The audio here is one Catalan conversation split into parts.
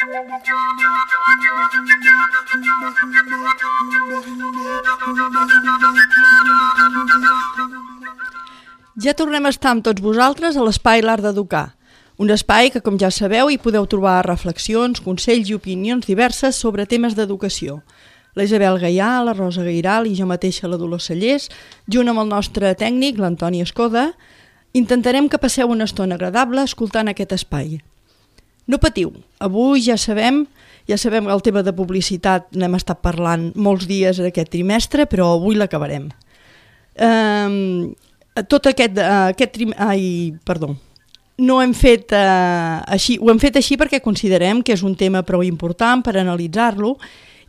Ja tornem a estar amb tots vosaltres a l'Espai L'Art d'Educar, un espai que, com ja sabeu, hi podeu trobar reflexions, consells i opinions diverses sobre temes d'educació. La Isabel Gaià, la Rosa Gairal i jo mateixa, la Dolors Cellers, junt amb el nostre tècnic, l'Antoni Escoda, intentarem que passeu una estona agradable escoltant aquest espai. No patiu, avui ja sabem que el tema de publicitat n'hem estat parlant molts dies aquest trimestre, però avui l'acabarem. No ho hem fet així perquè considerem que és un tema prou important per analitzar-lo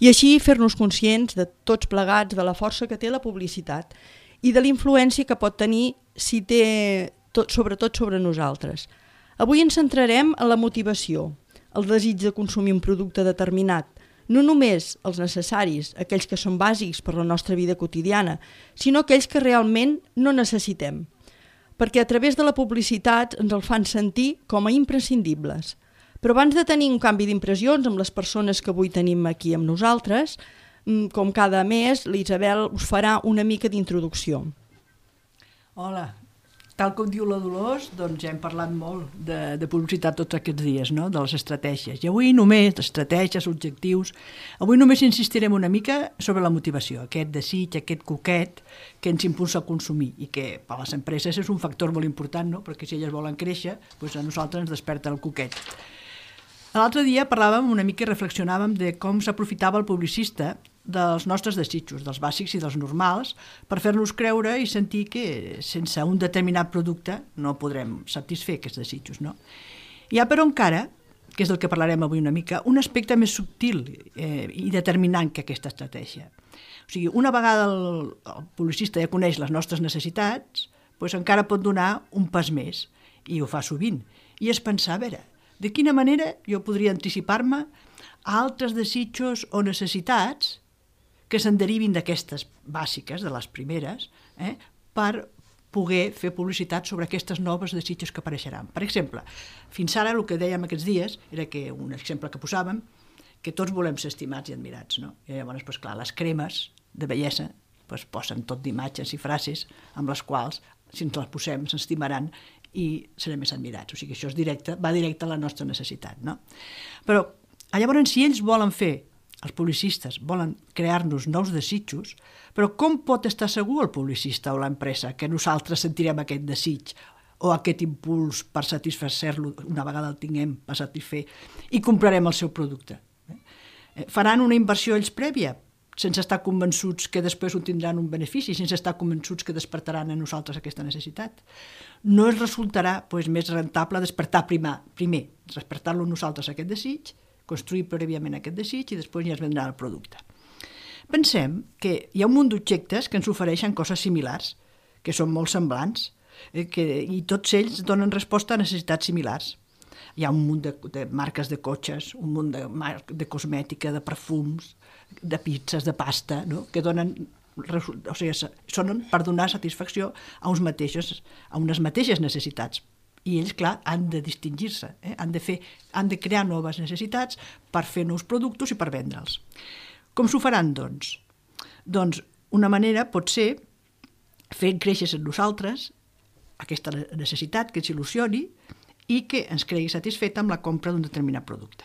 i així fer-nos conscients de tots plegats de la força que té la publicitat i de la influència que pot tenir si té sobretot sobre nosaltres. Avui ens centrarem en la motivació, el desig de consumir un producte determinat, no només els necessaris, aquells que són bàsics per la nostra vida quotidiana, sinó aquells que realment no necessitem, perquè a través de la publicitat ens el fan sentir com a imprescindibles. Però abans de tenir un canvi d'impressions amb les persones que avui tenim aquí amb nosaltres, com cada mes, l'Isabel us farà una mica d'introducció. Hola. Tal com diu la Dolors, doncs ja hem parlat molt de publicitat tots aquests dies, no? De les estratègies. I avui només, estratègies, objectius, avui només insistirem una mica sobre la motivació, aquest desig, aquest coquet que ens impulsa a consumir i que per a les empreses és un factor molt important, no? Perquè si elles volen créixer, doncs a nosaltres ens desperta el coquet. L'altre dia parlàvem una mica i reflexionàvem de com s'aprofitava el publicista dels nostres desitjos, dels bàsics i dels normals, per fer-nos creure i sentir que sense un determinat producte no podrem satisfer aquests desitjos, no? Hi ha, però, encara, que és del que parlarem avui una mica, un aspecte més subtil i determinant que aquesta estratègia. O sigui, una vegada el publicista ja coneix les nostres necessitats, doncs encara pot donar un pas més, i ho fa sovint, i és pensar, a veure, de quina manera jo podria anticipar-me a altres desitjos o necessitats que se'n derivin d'aquestes bàsiques, de les primeres, per poder fer publicitat sobre aquestes noves desitjos que apareixeran. Per exemple, fins ara el que dèiem aquests dies era que, un exemple que posàvem, que tots volem ser estimats i admirats, no? I llavors, doncs clar, les cremes de bellesa posen tot d'imatges i frases amb les quals, si ens les posem, s'estimaran i serem més admirats. O sigui, això és directe, va directe a la nostra necessitat, no? Però, llavors, si ells volen fer, els publicistes volen crear-nos nous desitjos, però com pot estar segur el publicista o l'empresa que nosaltres sentirem aquest desig o aquest impuls per satisfer-lo, una vegada el tinguem per satisfer, i comprarem el seu producte? Faran una inversió ells prèvia, sense estar convençuts que després ho tindran un benefici, sense estar convençuts que despertaran a nosaltres aquesta necessitat? No es resultarà més rentable despertar primer, despertar-lo a nosaltres aquest desig, construir prèviament aquest desig i després ja es vendrà el producte. Pensem que hi ha un munt d'objectes que ens ofereixen coses similars, que són molt semblants, i tots ells donen resposta a necessitats similars. Hi ha un munt de marques de cotxes, un munt de cosmètica, de perfums, de pizzas, de pasta, no? Que donen, o sigui, són per donar satisfacció a unes mateixes necessitats. I ells, clar, han de distingir-se, han de crear noves necessitats per fer nous productes i per vendre'ls. Com s'ho faran, doncs? Doncs una manera pot ser fer créixer en nosaltres aquesta necessitat que ens il·lusioni i que ens cregui satisfet amb la compra d'un determinat producte.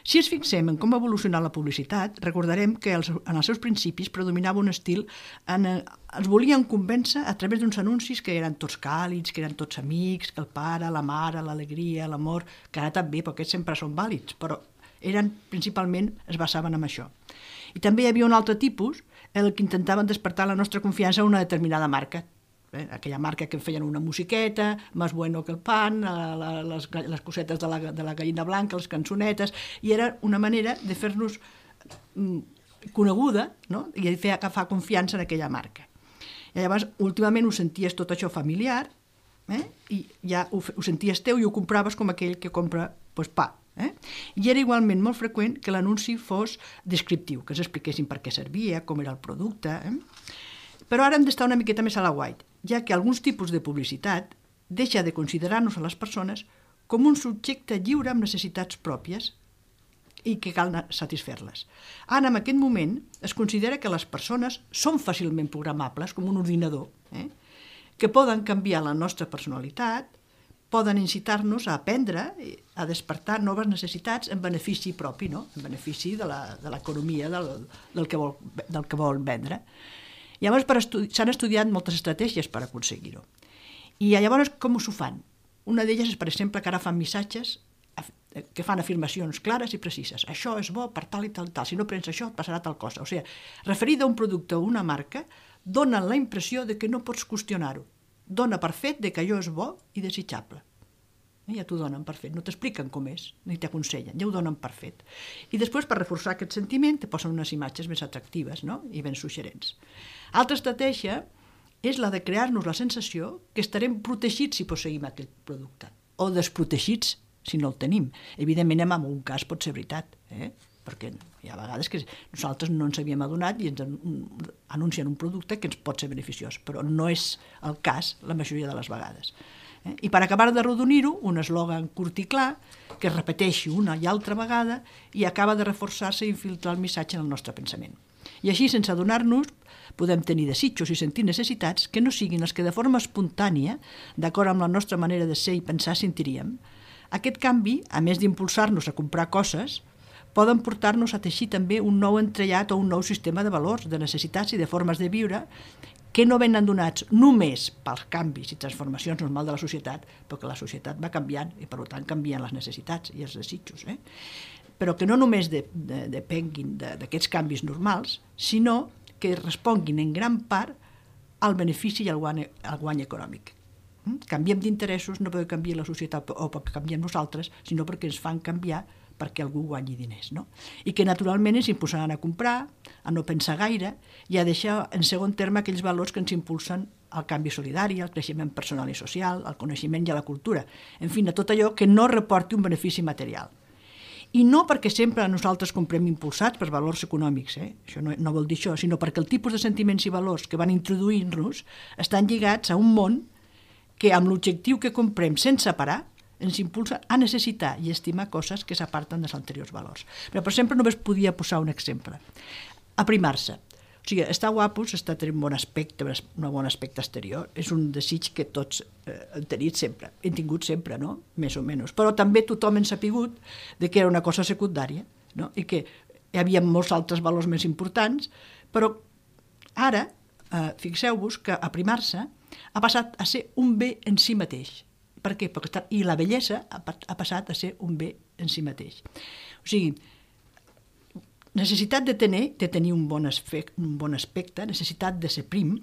Si ens fixem en com ha evolucionat la publicitat, recordarem que en els seus principis predominava un estil els volien convèncer a través d'uns anuncis que eren tots càlids, que eren tots amics, que el pare, la mare, l'alegria, l'amor, que ara també, perquè aquests sempre són vàlids, però principalment es basaven en això. I també hi havia un altre tipus, el que intentaven despertar la nostra confiança en una determinada marca, aquella marca que feien una musiqueta, Más bueno que el pan, les cosetes de la gallina blanca, les cançonetes, i era una manera de fer-nos coneguda, no? I de fer agafar confiança en aquella marca. I llavors, últimament ho senties tot això familiar, i ja ho senties teu i ho compraves com aquell que compra pa. I era igualment molt freqüent que l'anunci fos descriptiu, que ens expliquessin per què servia, com era el producte. Però ara hem d'estar una miqueta més a la guait, ja que alguns tipus de publicitat deixa de considerar-nos a les persones com un subjecte lliure amb necessitats pròpies i que cal satisfer-les. Ara, en aquest moment, es considera que les persones són fàcilment programables, com un ordinador, que poden canviar la nostra personalitat, poden incitar-nos a aprendre, a despertar noves necessitats en benefici propi, no? En benefici de l'economia del que vol vendre. Llavors, s'han estudiat moltes estratègies per aconseguir-ho. I llavors, com s'ho fan? Una d'elles és, per exemple, que ara fan missatges que fan afirmacions clares i precises. Això és bo per tal i tal i tal. Si no prens això, et passarà tal cosa. O sigui, referida a un producte o una marca, donen la impressió de que no pots qüestionar-ho. Dona per fet de que allò és bo i desitjable. Ja t'ho donen per fet. No t'expliquen com és, ni t'aconsellen. Ja ho donen per fet. I després, per reforçar aquest sentiment, te posen unes imatges més atractives, no? I ben suggerents. Altra estratègia és la de crear-nos la sensació que estarem protegits si posseïm aquest producte, o desprotegits si no el tenim. Evidentment, en un cas pot ser veritat, perquè hi ha vegades que nosaltres no ens havíem adonat i ens anuncien un producte que ens pot ser beneficiós, però no és el cas la majoria de les vegades. I per acabar d'arrodonir-ho, un eslògan curt i clar que es repeteixi una i altra vegada i acaba de reforçar-se i infiltrar el missatge en el nostre pensament. I així, sense adonar-nos, podem tenir desitjos i sentir necessitats que no siguin els que de forma espontània, d'acord amb la nostra manera de ser i pensar, sentiríem. Aquest canvi, a més d'impulsar-nos a comprar coses, poden portar-nos a teixir també un nou entrellat o un nou sistema de valors, de necessitats i de formes de viure que no venen donats només pels canvis i transformacions normals de la societat, però que la societat va canviant i, per tant, canvien les necessitats i els desitjos. Però que no només depenguin d'aquests canvis normals, sinó que responguin en gran part al benefici i al guany econòmic. Canviem d'interessos no perquè canvia la societat o perquè canviem nosaltres, sinó perquè ens fan canviar perquè algú guanyi diners, no? I que naturalment ens impulsaran a comprar, a no pensar gaire i a deixar en segon terme aquells valors que ens impulsen al canvi solidari, al creixement personal i social, al coneixement i a la cultura, en fi, a tot allò que no reporti un benefici material. I no perquè sempre nosaltres comprem impulsats per valors econòmics, això no vol dir això, sinó perquè el tipus de sentiments i valors que van introduir-nos estan lligats a un món que amb l'objectiu que comprem sense parar ens impulsa a necessitar i estimar coses que s'aparten dels anteriors valors. Però per exemple només podia posar un exemple. Aprimar-se. O sigui, estar guapos, estar tenint un bon aspecte exterior, és un desig que tots hem tingut sempre, no? Més o menys. Però també tothom hem sapigut que era una cosa secundària, no? I que hi havia molts altres valors més importants, però ara, fixeu-vos que aprimar-se ha passat a ser un bé en si mateix. Per què? I la bellesa ha passat a ser un bé en si mateix. O sigui, necessitat de tenir un bon aspecte, necessitat de ser prim,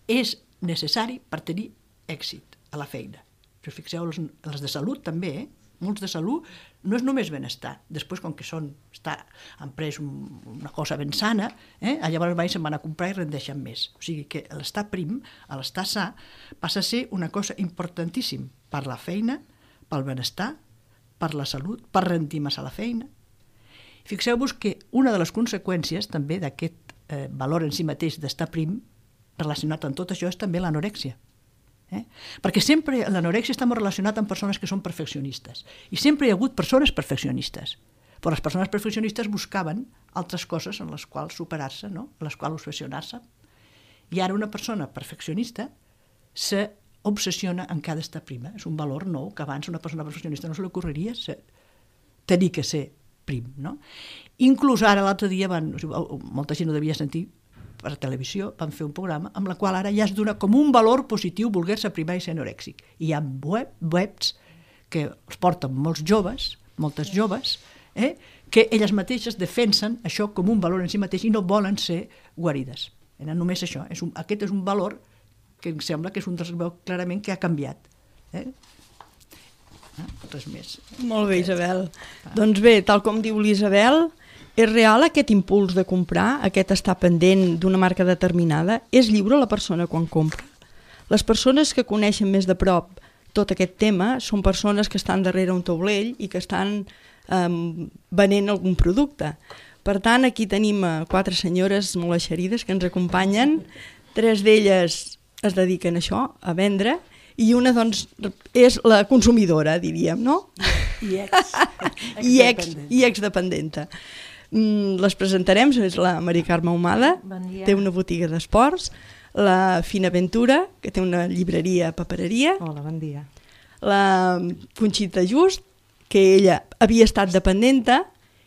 és necessari per tenir èxit a la feina. Si us fixeu, els de salut també, molts de salut no és només benestar. Després, com que han pres una cosa ben sana, llavors se'n van a comprar i rendeixen més. O sigui que l'estar prim, l'estar sa, passa a ser una cosa importantíssima per la feina, pel benestar, per la salut, per rendir més a la feina. Fixeu-vos que una de les conseqüències també d'aquest valor en si mateix d'estar prim, relacionat amb tot això, és també l'anorèxia. Perquè sempre l'anorèxia està molt relacionat amb persones que són perfeccionistes. I sempre hi ha hagut persones perfeccionistes. Però les persones perfeccionistes buscaven altres coses en les quals superar-se, no? En les quals obsessionar-se. I ara una persona perfeccionista s'obsessiona en cada estar prima. És un valor nou que abans una persona perfeccionista no se li ocorreria tenir que ser prim, no? Inclús ara l'altre dia molta gent ho devia sentir per televisió, van fer un programa amb la qual ara ja es dona com un valor positiu voler-se primar i ser anorèxic. I hi ha webs que els porten moltes joves, que elles mateixes defensen això com un valor en si mateix i no volen ser guarides. Només això. Aquest és un valor que em sembla que és un dels veus clarament que ha canviat. Res més. Molt bé, Isabel. Doncs bé, tal com diu l'Isabel, és real aquest impuls de comprar, aquest estar pendent d'una marca determinada? És lliure la persona quan compra? Les persones que coneixen més de prop tot aquest tema són persones que estan darrere un taulell i que estan venent algun producte. Per tant, aquí tenim 4 senyores molt eixerides que ens acompanyen. 3 d'elles es dediquen a això, a vendre, i una doncs és la consumidora, diríem, no? I exdependenta. Les presentarem, és la Mari Carme Ahumada, té una botiga d'esports, la Fina Ventura, que té una llibreria papereria. Hola, bon dia. La Conxita Just, que ella havia estat dependenta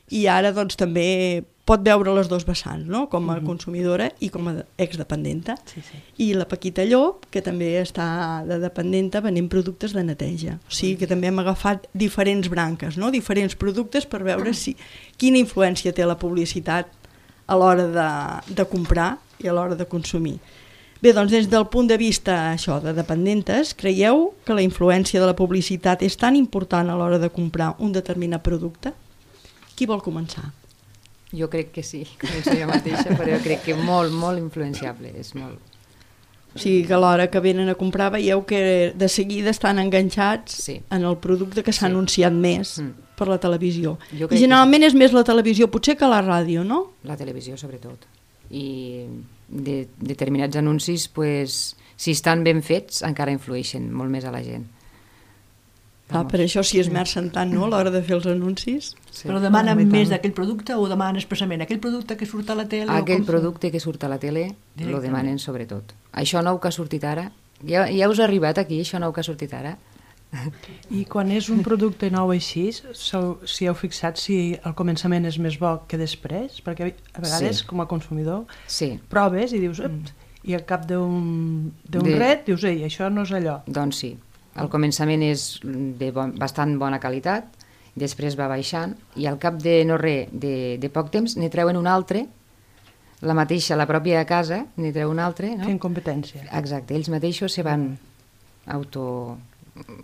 i ara doncs també pot veure les dos vessants, no? Com a consumidora i com a exdependenta. Sí, sí. I la Paquita Llop, que també està de dependenta venent productes de neteja. O sigui que també hem agafat diferents branques, no? Diferents productes per veure quina influència té la publicitat a l'hora de comprar i a l'hora de consumir. Bé, doncs des del punt de vista això de dependentes, creieu que la influència de la publicitat és tan important a l'hora de comprar un determinat producte? Qui vol començar? Jo crec que sí, començo jo mateixa, però jo crec que molt, molt influenciable, és molt. O sigui que a l'hora que venen a comprar veieu que de seguida estan enganxats en el producte que s'ha anunciat més per la televisió. I generalment és més la televisió, potser que la ràdio, no? La televisió sobretot. I determinats anuncis, pues, si estan ben fets, encara influeixen molt més a la gent. Per això s'hi esmercen tant, no?, a l'hora de fer els anuncis. Però demanen més d'aquell producte o demanen expressament aquell producte que surt a la tele? Aquell producte que surt a la tele lo demanen sobretot. Això nou que ha sortit ara, ja us ha arribat aquí, això nou que ha sortit ara? I quan és un producte nou així, si heu fixat si al començament és més bo que després? Perquè a vegades, com a consumidor, proves i dius, i al cap d'un ret dius, ei, això no és allò. Doncs sí. Al començament és de bastant bona qualitat, després va baixant i al cap de no res, de poc temps, n'hi treuen un altre, la mateixa, la pròpia casa, n'hi treu un altre. Fent competència. Exacte, ells mateixos se van auto...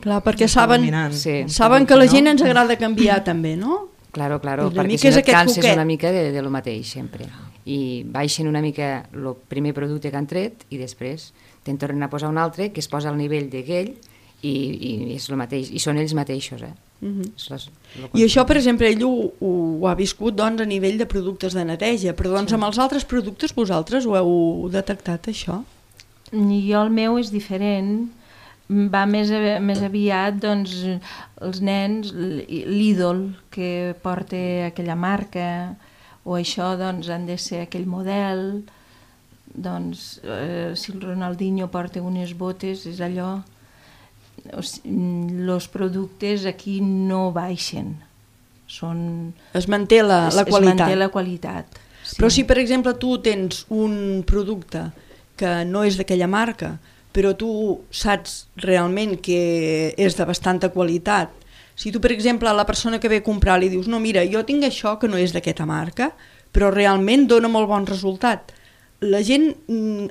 Clar, perquè saben que a la gent ens agrada canviar també, no? Claro, perquè si no et canses una mica de lo mateix sempre. I baixen una mica el primer producte que han tret i després te'n tornen a posar un altre que es posa al nivell d'aquell i és el mateix, i són ells mateixos. I això, per exemple, ell ho ha viscut doncs, a nivell de productes de neteja, però doncs, amb els altres productes vosaltres ho heu detectat, això? Jo el meu és diferent, va més aviat doncs, els nens, l'ídol que porta aquella marca o això doncs, han de ser aquell model, doncs, si el Ronaldinho porta unes botes és allò. Els productes aquí no baixen, es manté la qualitat. Es manté la qualitat, sí. Però si per exemple tu tens un producte que no és d'aquella marca, però tu saps realment que és de bastanta qualitat, si tu per exemple a la persona que ve a comprar li dius no, mira, jo tinc això que no és d'aquesta marca, però realment dona molt bon resultat, la gent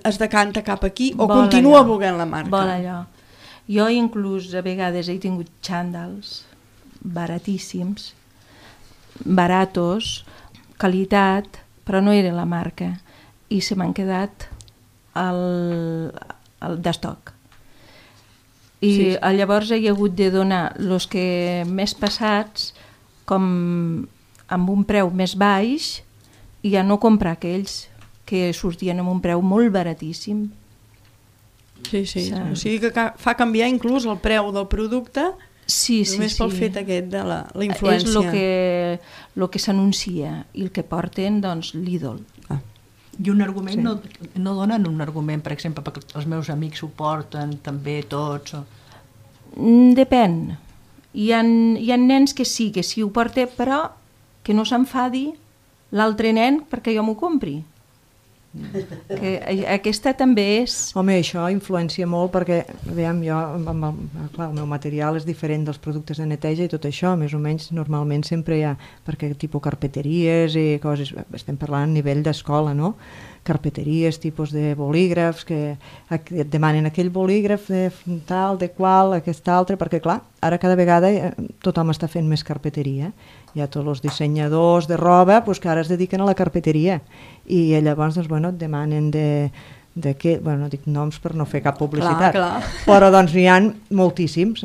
es decanta cap aquí o continua volent la marca? Vol allò. Jo inclús a vegades he tingut xàndals baratíssims, baratos, qualitat, però no era la marca i se m'han quedat d'estoc. I llavors he hagut de donar els que més passats com amb un preu més baix i ja no comprar aquells que sortien amb un preu molt baratíssim. Sí. O sigui que fa canviar inclús el preu del producte només pel fet aquest de la influència. És el que s'anuncia i el que porten, doncs, l'ídol. I un argument, no donen un argument, per exemple, perquè els meus amics ho porten també tots? Depèn. Hi ha nens que sí ho porten, però que no s'enfadi l'altre nen perquè jo m'ho compri. Que aquesta també és... Home, això influencia molt perquè, veiem, jo, clar, el meu material és diferent dels productes de neteja i tot això, més o menys normalment sempre hi ha, perquè tipus carpeteries i coses, estem parlant a nivell d'escola, no? Carpeteries, tipus de bolígrafs, que et demanen aquell bolígraf de tal, de qual, aquest altre, perquè clar, ara cada vegada tothom està fent més carpeteria. Hi ha tots els dissenyadors de roba que ara es dediquen a la carpeteria i llavors et demanen no dic noms per no fer cap publicitat, però doncs n'hi ha moltíssims,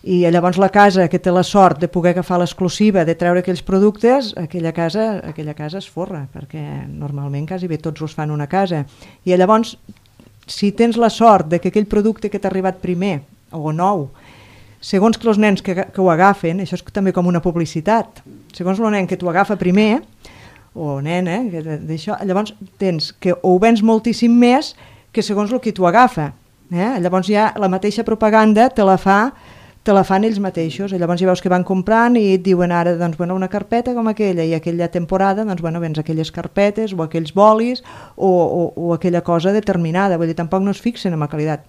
i llavors la casa que té la sort de poder agafar l'exclusiva de treure aquells productes, aquella casa es forra, perquè normalment quasi bé tots els fan una casa, i llavors si tens la sort de que aquell producte que t'ha arribat primer o nou segons que els nens que ho agafen, això és també com una publicitat, segons el nen que t'ho agafa primer, o nena, d'això, llavors tens que ho vens moltíssim més que segons el que t'ho agafa. Llavors ja la mateixa propaganda te la fan ells mateixos, llavors ja veus que van comprant i et diuen ara doncs, una carpeta com aquella, i aquella temporada doncs, vens aquelles carpetes o aquells bolis o aquella cosa determinada, vull dir, tampoc no es fixen en la qualitat.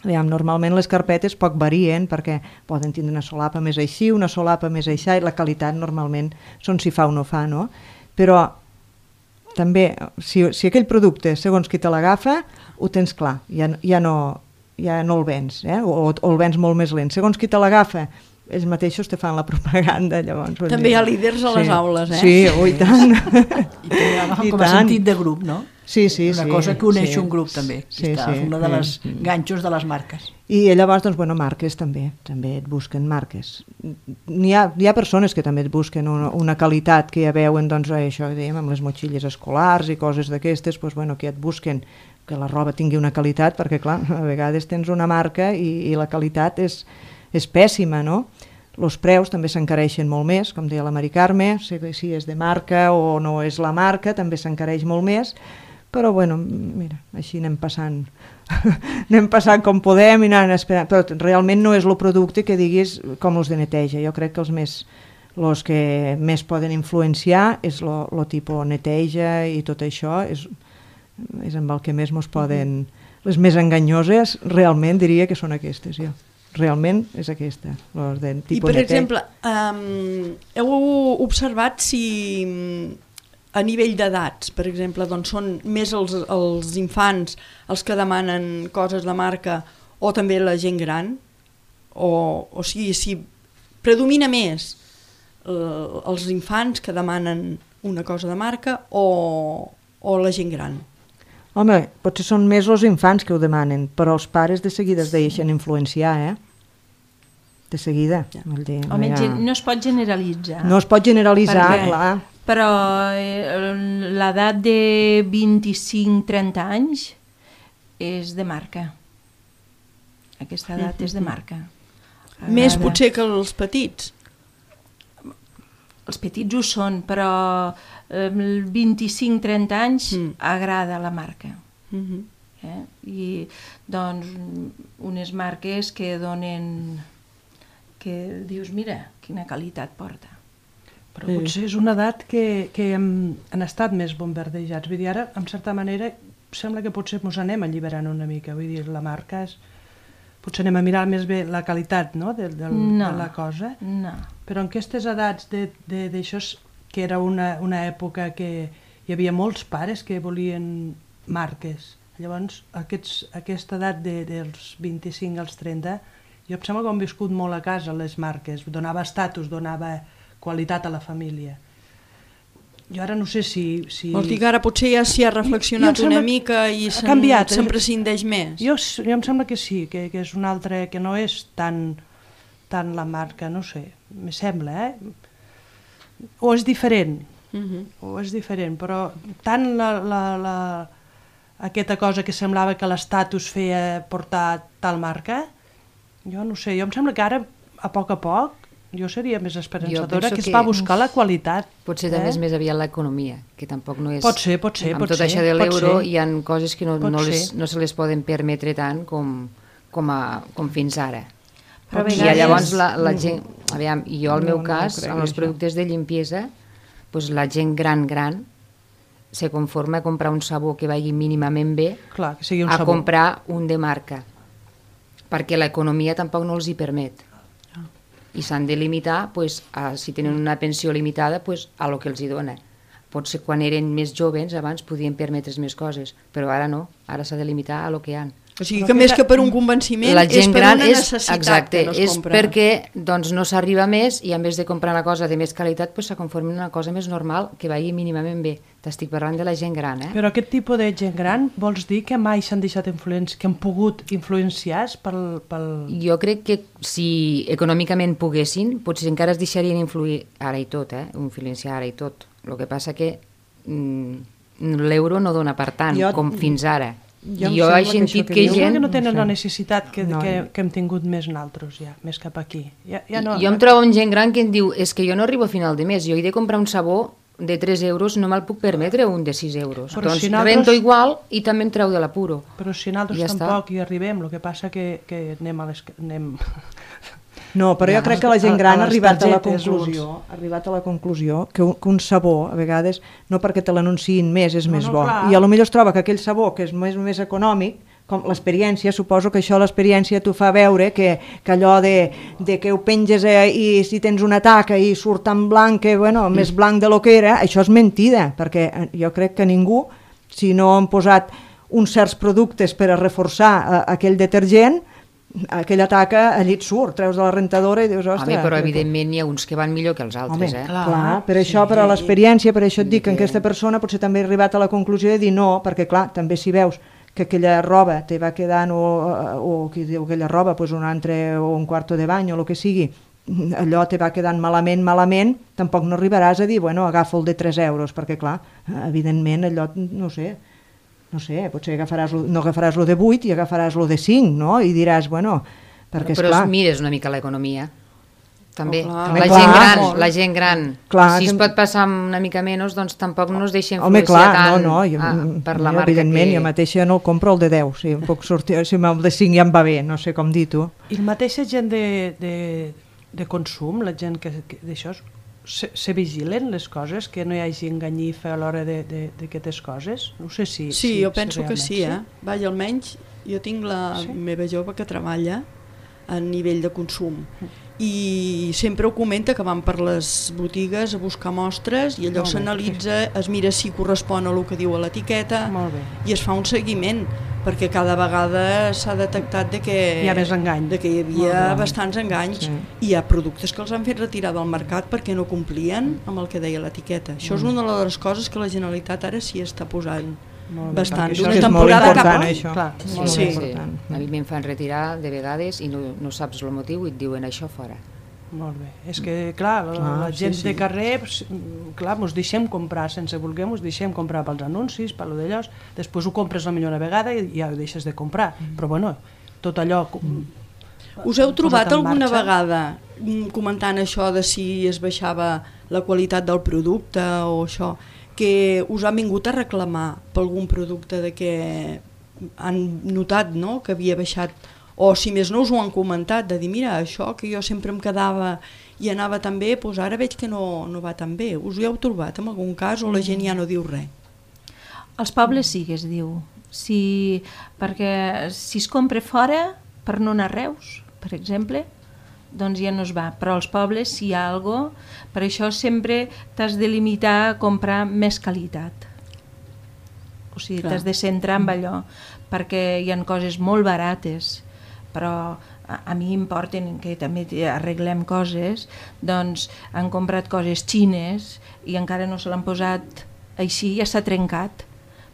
Normalment les carpetes poc varien perquè poden tindre una solapa més així, una solapa més així, i la qualitat normalment són si fa o no fa, no? Però també, si aquell producte, segons qui te l'agafa, ho tens clar, ja no el vens, o el vens molt més lent. Segons qui te l'agafa, ells mateixos te fan la propaganda. Llavors, també hi ha líders a les aules, Sí, i tant. I també agafen com a sentit de grup, no? Sí. Una cosa que uneix un grup, també. Una de les ganxos de les marques. I llavors, marques també et busquen marques. N'hi ha persones que també et busquen una qualitat que ja veuen, això que dèiem, amb les motxilles escolars i coses d'aquestes, que et busquen que la roba tingui una qualitat, perquè clar, a vegades tens una marca i la qualitat és pèssima, no? Els preus també s'encareixen molt més, com deia la Mari Carme, si és de marca o no és la marca, també s'encareix molt més, però mira, així anem passant com podem i anant esperant, però realment no és el producte que diguis com els de neteja. Jo crec que els que més poden influenciar és el tipus neteja i tot això, és amb el que més ens poden... Les més enganyoses realment diria que són aquestes, jo. Realment és aquesta. I per exemple, heu observat si a nivell d'edats, per exemple, són més els infants els que demanen coses de marca o també la gent gran? O sigui, si predomina més els infants que demanen una cosa de marca o la gent gran? Home, potser són més els infants que ho demanen, però els pares de seguida es deixen influenciar, De seguida. Home, no es pot generalitzar. No es pot generalitzar, clar. Però l'edat de 25-30 anys és de marca. Aquesta edat és de marca. Més potser que els petits? Els petits ho són, però 25-30 anys agrada la marca. I doncs unes marques que donen, que dius, mira, quina qualitat porta. Però potser és una edat que han estat més bombardejats. Vull dir, ara, en certa manera, sembla que potser ens anem alliberant una mica. Vull dir, la marca és... Potser anem a mirar més bé la qualitat, no?, de la cosa. No. Però en aquestes edats d'això, que era una època que hi havia molts pares que volien marques. Llavors, aquesta edat dels 25 als 30, jo em sembla que han viscut molt a casa les marques. Donava estatus, donava qualitat a la família. Jo ara no sé si... Vols dir que ara potser ja s'hi ha reflexionat una mica i se'n prescindeix més? Jo em sembla que sí, que és una altra, que no és tan la marca, no sé, me sembla, O és diferent, o és diferent, però tant aquesta cosa que semblava que l'estatus feia portar tal marca, jo no sé, jo em sembla que ara, a poc, jo seria més esperançadora, que es va buscar la qualitat. Potser també és més aviat l'economia, que tampoc no és... Pot ser. Amb tot això de l'euro hi ha coses que no se les poden permetre tant com fins ara. I llavors la gent... Aviam, jo al meu cas, amb els productes de limpiesa, la gent gran se conforma a comprar un sabó que vagi mínimament bé a comprar un de marca, perquè l'economia tampoc no els hi permet. I s'han de limitar, si tenen una pensió limitada, a lo que els hi dona. Potser quan eren més joves, abans podien permetre's més coses, però ara no, ara s'ha de limitar a lo que hi ha. O sigui que més que per un convenciment és per una necessitat que no es compra. Exacte, és perquè no s'arriba més i en vez de comprar una cosa de més qualitat se conforma en una cosa més normal que vagi mínimament bé. T'estic parlant de la gent gran, Però aquest tipus de gent gran vols dir que mai s'han deixat influenciar, que han pogut influenciar pel... Jo crec que si econòmicament poguessin, potser encara es deixarien influir ara i tot, influenciar ara i tot. El que passa que l'euro no dona per tant, com fins ara. Jo he sentit que Jo crec gent... que no tenen la necessitat que hem tingut més naltros, ja, més cap aquí. Jo em trobo amb gent gran que em diu és que jo no arribo a final de mes, jo he de comprar un sabó de 3 euros, no me'l puc permetre un de 6 euros. Però doncs si nosaltres... rento igual i també em treu de l'apuro. Però si nosaltres tampoc hi arribem, el que passa que anem a les... No, però jo crec que la gent gran ha arribat a la conclusió que un sabó, a vegades, no perquè te l'anunciïn més és més bo. I potser es troba que aquell sabó, que és més econòmic, com l'experiència, suposo que això l'experiència t'ho fa veure que allò de que ho penges i si tens una taca i surt tan blanc que, bueno, més blanc de lo que era, això és mentida, perquè jo crec que ningú, si no han posat uns certs productes per a reforçar aquell detergent, aquella taca allí et surt, treus de la rentadora i dius, ostres... Home, però evidentment n'hi ha uns que van millor que els altres, Clar, per això, per a l'experiència, per això et dic que aquesta persona potser també ha arribat a la conclusió de dir no, perquè clar, també si veus que aquella roba te va quedant o qui diu aquella roba, pues un altre o un quarto de bany o el que sigui, allò te va quedant malament, tampoc no arribaràs a dir, bueno, agafo el de 3 euros, perquè clar, evidentment allò, no sé, potser no agafaràs el de 8 i agafaràs el de 5, no? I diràs, bueno, perquè és clar... Però mires una mica l'economia. També, la gent gran, si es pot passar una mica menys, doncs tampoc no es deixa influenciar tant per la marca. Evidentment, jo mateixa no compro el de 10, si em puc sortir, si el de 5 ja em va bé, no sé com dir-ho. I la mateixa gent de consum, la gent que d'això, se vigilen les coses, que no hi hagi enganyifa a l'hora d'aquestes coses? No sé si... Sí, jo penso que sí, Vaja, almenys jo tinc la meva jove que treballa a nivell de consum i sempre ho comenta que van per les botigues a buscar mostres i allò s'analitza, es mira si correspon a el que diu a l'etiqueta i es fa un seguiment, perquè cada vegada s'ha detectat que hi ha més engany, que hi havia bastants enganys i hi ha productes que els han fet retirar del mercat perquè no complien amb el que deia l'etiqueta. Això és una de les coses que la Generalitat ara sí està posant bastant, d'una temporada cap a això. Sí. A mi me'n fan retirar de vegades i no saps el motiu i et diuen això fora. Molt bé, és que clar, la gent de carrer, clar, ens deixem comprar sense voler, ens deixem comprar pels anuncis, per allò d'allò, després ho compres la millor vegada i ja ho deixes de comprar, però bueno, tot allò... Us heu trobat alguna vegada comentant això de si es baixava la qualitat del producte o això, que us han vingut a reclamar per algun producte de que han notat que havia baixat, o si més no us ho han comentat, de dir mira, això que jo sempre em quedava i anava tan bé, doncs ara veig que no va tan bé. Us ho heu trobat en algun cas o la gent ja no diu res? Als pobles sí que es diu, perquè si es compra fora per no anar a Reus, per exemple, doncs ja no es va, però als pobles si hi ha alguna cosa, per això sempre t'has de limitar a comprar més qualitat. O sigui, t'has de centrar en allò, perquè hi ha coses molt barates, però a mi importen que també arreglem coses, doncs han comprat coses xines i encara no se l'han posat així, ja s'ha trencat,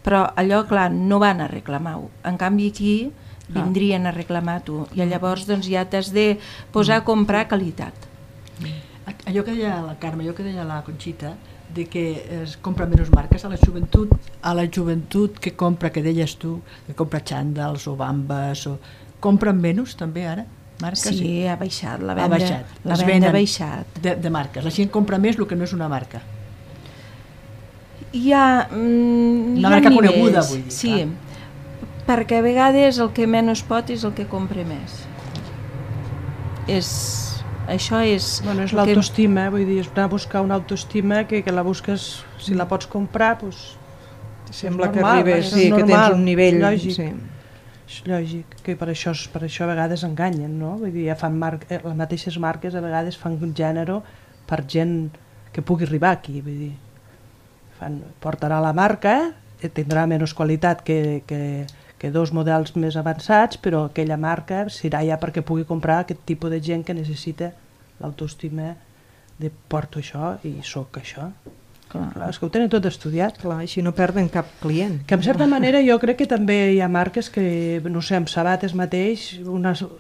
però allò, clar, no van a reclamar-ho. En canvi aquí vindrien a reclamar-t'ho i llavors doncs, ja t'has de posar a comprar qualitat. Allò que deia la Carme, allò que deia la Conxita, de que es compra menys marques, a la joventut que compra, que deies tu, que compra xandals o bambes, compren menys també ara? Marques? Sí, ha baixat, la venda ha baixat. De marques, la gent compra més el que no és una marca. Hi ha una marca coneguda, vull dir. Sí, perquè a vegades el que menys pot és el que compra més. Això és... Bueno, és l'autoestima, vull dir, és anar a buscar una autoestima que la busques, si la pots comprar, doncs... Sembla que arribes, sí, que tens un nivell... És lògic, que per això a vegades enganyen, no? Vull dir, fan les mateixes marques a vegades fan un gènere per gent que pugui arribar aquí, vull dir... Portarà la marca, tindrà menys qualitat que dos models més avançats, però aquella marca serà ja perquè pugui comprar aquest tipus de gent que necessita l'autoestima de porto això i soc això. Clar, és que ho tenen tot estudiat. Clar, així no perden cap client. Que en certa manera jo crec que també hi ha marques que, no sé, amb sabates mateix,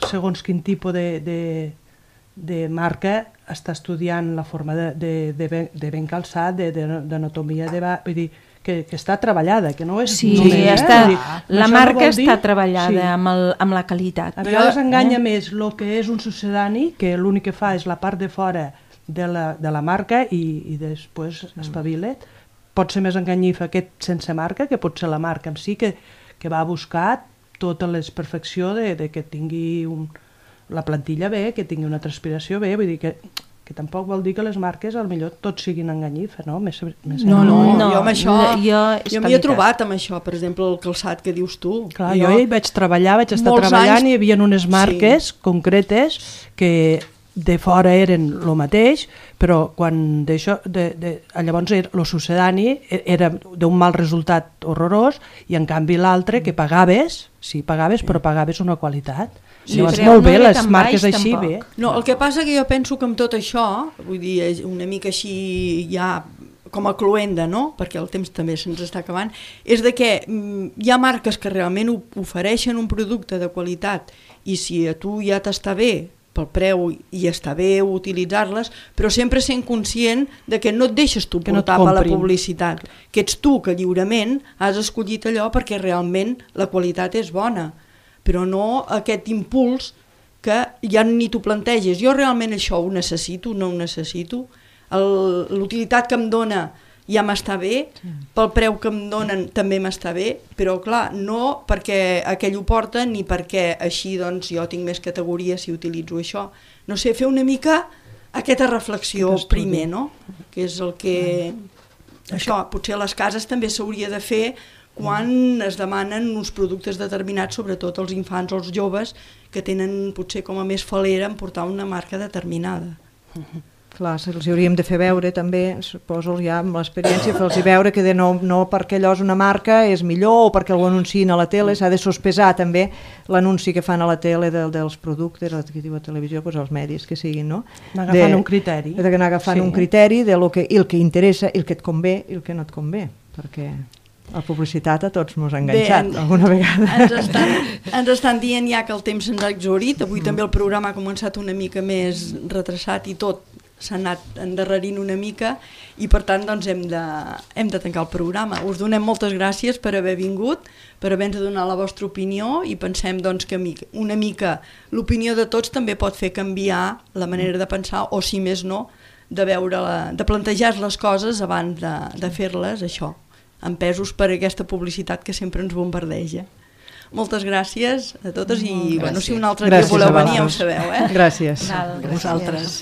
segons quin tipus de marca està estudiant la forma de ben calçat, d'anatomia, vull dir, que està treballada, que no és... Sí, la marca està treballada amb la qualitat. A vegades enganya més el que és un succedani, que l'únic que fa és la part de fora de la marca i després espavila. Pot ser més enganyifa aquest sense marca, que pot ser la marca en si, que va a buscar tota la perfecció de que tingui la plantilla bé, que tingui una transpiració bé, vull dir que tampoc vol dir que les marques potser tots siguin enganyifa, no? No, jo amb això, jo m'hi he trobat amb això, per exemple, el calçat que dius tu. Clar, jo hi vaig estar treballant i hi havia unes marques concretes que de fora eren el mateix, però quan llavors el succedani era d'un mal resultat horrorós i en canvi l'altre que pagaves, però pagaves una qualitat. Llavors molt bé, les marques així bé. No, el que passa que jo penso que amb tot això, vull dir, una mica així ja com a cloenda, no? Perquè el temps també se'ns està acabant, és de que hi ha marques que realment ofereixen un producte de qualitat i si a tu ja t'està bé pel preu i està bé utilitzar-les, però sempre sent conscient de que no et deixes tu portar per la publicitat, que ets tu que lliurement has escollit allò perquè realment la qualitat és bona, però no aquest impuls que ja ni t'ho planteges. Jo realment això ho necessito, no ho necessito, l'utilitat que em dona ja m'està bé, pel preu que em donen també m'està bé, però clar, no perquè aquell ho porta ni perquè així doncs jo tinc més categories si utilitzo això. No sé, fer una mica aquesta reflexió primer, no? Que és el que... Això, potser a les cases també s'hauria de fer quan es demanen uns productes determinats, sobretot els infants o els joves, que tenen potser com a més falera en portar una marca determinada. Clar, els hauríem de fer veure també, suposo ja amb l'experiència, fer-los veure que no perquè allò és una marca és millor o perquè ho anunciïn a la tele, s'ha de sospesar també l'anunci que fan a la tele dels productes, a la televisió, doncs els medis que siguin, no? Anar agafant un criteri. D'anar agafant un criteri de el que interessa, el que et convé i el que no et convé, perquè... La publicitat a tots m'ho ha enganxat alguna vegada. Ens estan dient ja que el temps se'ns ha exhaurit. Avui també el programa ha començat una mica més retrasat i tot s'ha anat endarrerint una mica i per tant doncs hem de tancar el programa. Us donem moltes gràcies per haver vingut, per haver-nos donat la vostra opinió i pensem doncs, que una mica l'opinió de tots també pot fer canviar la manera de pensar o si més no de plantejar les coses abans de fer-les, això, empesos per aquesta publicitat que sempre ens bombardeja. Moltes gràcies a totes i bueno, si un altre dia voleu venir ja ho sabeu. Gràcies. A vosaltres.